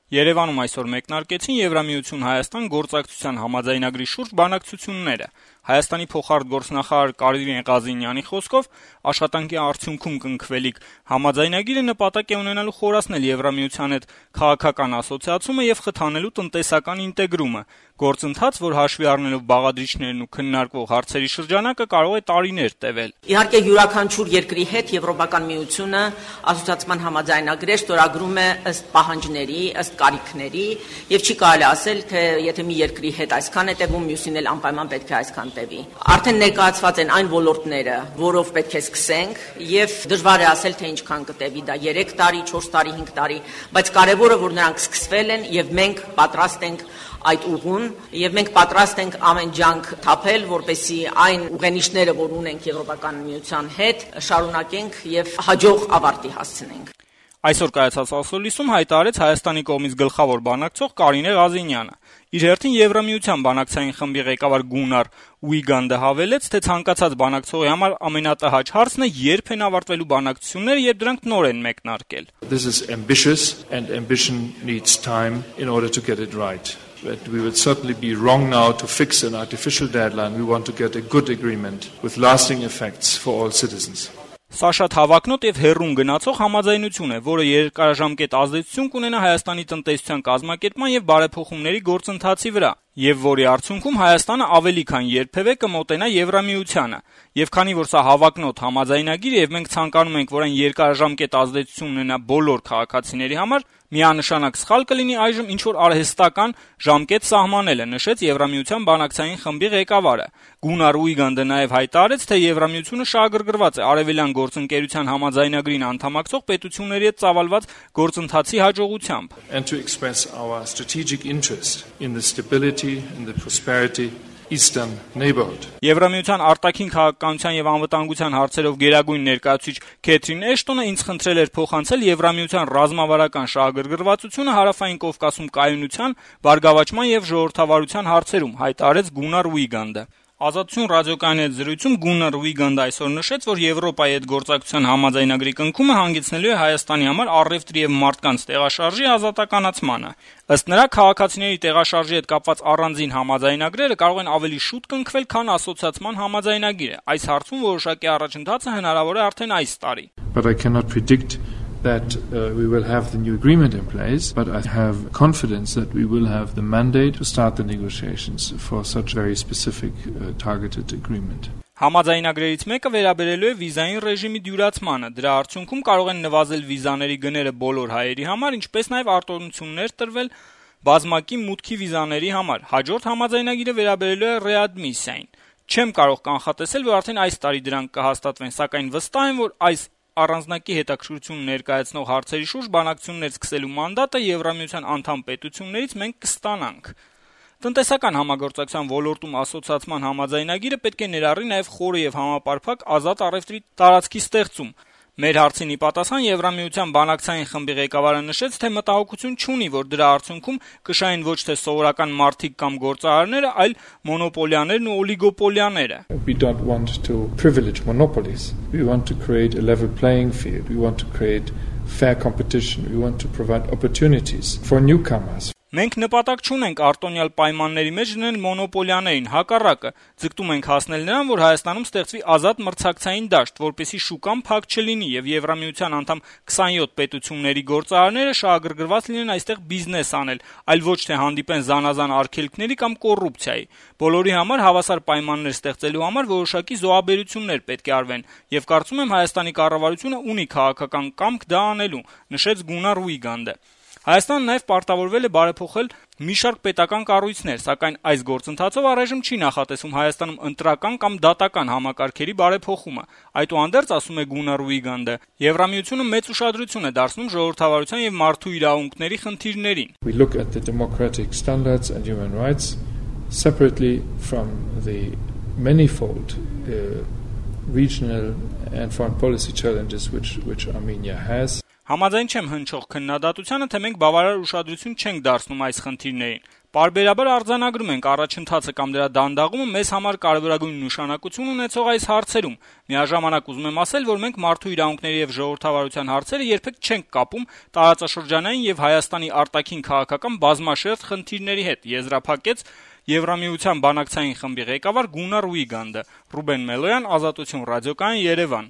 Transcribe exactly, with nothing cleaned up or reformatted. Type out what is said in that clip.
Երևանում այսօր մեկնարկեցին Եվրամիություն Հայաստան գործակցության համաձայնագրի շուրջ բանակցությունները։ Հայաստանի փոխարտգործնախարար Կարինե Ղազինյանի խոսքով աշխատանքի արդյունքում կնքվելիք համաձայնագիրը նպատակ է ունենալու խորացնել Եվրամիության հետ քաղաքական ասոցիացումը եւ խթանելու տնտեսական ինտեգրումը, գործընթաց, որ հաշվի առնելով բաղադրիչներն ու քննարկվող հարցերի շրջանակը կարող է տարիներ տևել։ Իհարկե յուրաքանչյուր երկրի հետ Եվրոպական միությունը ասոցիացիան համաձայնագրեր ստորագրում է ըստ պահանջների, ըստ կարիքների, եւ չի կարելի ասել, թե եթե մի երկրի հետ այսքան է տևում, մյուսին էլ անպայման պետք է այսքան տևի։ Արդեն ներկայացված են այն ոլորտները, որով պետք է սկսենք, եւ դժվար է ասել, թե ինչքան կտևի դա երեք տարի, չորս տարի, հինգ տարի, բայց կարեւորը որ նրանք սկսվել են եւ մենք պատրաստ ենք այդ ուղուն եւ մենք պատրաստ ենք ամեն ջանք թափել, որպեսզի այն ուղենիշները, որ ունենք Եվրոպական միության հետ, շարունակենք եւ հաջող ավարտի հասցնենք։ Այսօր կայացած ասուլիսում հայտարարեց Հայաստանի կողմից գլխավոր բանակցող Կարինե Ղազինյանը։ Իր հերթին Եվրամիության բանակցային խմբի ղեկավար Գունար Ուիգանդը հավելեց, թե ցանկացած բանակցողի համար ամենատհաճ հարցն է երբ են ավարտվելու բանակցությունները, երբ դրանք նոր են մեկնարկել։ This is ambitious and ambition needs time in order to get it right. But we would certainly be wrong now to fix an artificial deadline. We want to get a good agreement with lasting effects for all citizens. Սա շատ հավակնոտ եւ հեռուն գնացող համաձայնություն է, որը երկարաժամկետ ազդեցություն կունենա Հայաստանի տնտեսության կազմակերպման եւ բարեփոխումների գործընթացի վրա, եւ որի արդյունքում Հայաստանը ավելի քան երբեւէ կմոտենա Եվրամիությանը։ Եվ քանի որ սա հավակնոտ համաձայնագիր է եւ մենք ցանկանում ենք, որ այն երկարաժամկետ ազդեցություն ունենա բոլոր քաղաքացիների համար, միանշանակ սխալ կլինի այժմ ինչ որ արհեստական ժամկետ սահմանելը, նշեց Եվրամիության բանակցային խմբի ղեկավարը։ Գունար Ուիգանդը նաեւ հայտարարեց, թե Եվրամիությունը շահագրգռված է Արևելյան գործընկերության համաձայնագրին անդամակցող պետությունների հետ ծավալված գործընթացի հաջողությամբ։ And to express our strategic interest in the stability and the prosperity Eastern neighborhood. Եվրամիության արտաքին քաղաքականության եւ անվտանգության հարցերով գերագույն ներկայացուցիչ Քեթրին Էշտոնը ինձ խնդրել էր փոխանցել Եվրամիության ռազմավարական շահագրգռվածությունը Հարավային Կովկասում կայունության, բարգավաճման եւ ժողովրդավարության հարցերում, հայտարարեց Գունար Ուիգանդը։ Ազատություն ռադիոկայանի հետ զրույցում Գունար Ուիգանդը այսօր նշեց, որ Եվրոպայի հետ գործակցության համաձայնագրի կնքումը հանգեցնելու է Հայաստանի համար առևտրի եւ մարդկանց տեղաշարժի ազատականացմանը։ Ըստ նրա, քաղաքացիների տեղաշարժի հետ կապված առանձին համաձայնագրերը կարող են ավելի շուտ կնքվել, քան ասոցիացման համաձայնագիրը։ Այս հարցում որոշակի առաջընթացը հնարավոր է արդեն այս տարի։ But I cannot predict that uh, we will have the new agreement in place, but I have confidence that we will have the mandate to start the negotiations for such very specific uh, targeted agreement. Համաձայնագրերից մեկը վերաբերելու է վիզային ռեժիմի դյուրացմանը։ Դրա արդյունքում կարող են նվազել վիզաների գները բոլոր հայերի համար, ինչպես նաև արտոնություններ տրվել բազմակի մուտքի վիզաների համար։ Հաջորդ համաձայնագիրը վերաբերելու է ռեադմիսիային։ Չեմ կարող կանխատեսել, որ արդեն այս տարի դրանք կհաստատվեն, սակայն վստահ եմ, որ այս առանձնակի հետաքրքրություն ներկայացնող հարցերի շուրջ բանակցություններ սկսելու մանդատը Եվրամիության անդամ պետություններից մենք կստանանք։ Տնտեսական համագործակցության ոլորտում ասոցիացման համաձայնագիրը պետք է ներառի նաև խորը եւ համապարփակ ազատ առևտրի տարածքի ստեղծում։ Մեր հարցին ի պատասխան Եվրամիության բանակցային խմբի ղեկավարը նշեց, թե մտահոգություն չունի, որ դրա արդյունքում կշահեն ոչ թե սովորական մարդիկ կամ գործարարները, այլ մոնոպոլիաներն ու օլիգոպոլիաները։ We don't want to privilege monopolies. We want to create a level playing field. We want to create fair competition. We want to provide opportunities for newcomers. Մենք նպատակ չունենք արտոնյալ պայմանների մեջ դնել մոնոպոլիաներին, հակառակը, ձգտում ենք հասնել նրան, որ Հայաստանում ստեղծվի ազատ մրցակցային դաշտ, որպեսզի շուկան փակ չլինի եւ Եվրամիության անդամ քսանյոթ պետությունների գործարարները շահագրգռված լինեն այստեղ բիզնես անել, այլ ոչ թե հանդիպեն զանազան արգելքների կամ կոռուպցիայի։ Բոլորի համար հավասար պայմաններ ստեղծելու համար որոշակի զոհաբերություններ պետք է արվեն, եւ կարծում եմ Հայաստանի կառավարությունը ունի քաղաքական կամք դա անելու, նշեց Գունար Ուիգանդը։ Հայաստանը նաև պարտավորվել է բարեփոխել մի շարք պետական կառույցներ, սակայն այս գործընթացով առայժմ չի նախատեսում Հայաստանում ընտրական կամ դատական համակարգերի բարեփոխումը։ Այդուհանդերձ, ասում է Գունար Ուիգանդը, Եվրամիությունը մեծ ուշադրություն է դարձնում ժողովրդավարության եւ մարդու իրավունքների խնդիրներին։ We look at the democratic standards and human rights separately from the manifold uh, regional and foreign policy challenges which which Armenia has. Համաձայն չեմ հնչող քննադատությանը, թե մենք բավարար ուշադրություն չենք դարձնում այս խնդիրներին։ Պարբերաբար արձանագրում ենք առաջընթացը կամ դրա դանդաղումը մեզ համար կարևորագույն նշանակություն ունեցող այս հարցերում։ Միաժամանակ ուզում եմ ասել, որ մենք մարդու իրավունքների եւ ժողովրդավարության հարցերը երբեք չենք կապում տարածաշրջանային եւ Հայաստանի արտաքին քաղաքական բազմաշերտ խնդիրների հետ, եզրափակեց Եվրամիության բանակցային խմբի ղեկավար Գուննար Ուիգանդը։ Ռուբեն Մելոյան, Ազատություն ռադիոկայան, Երևան։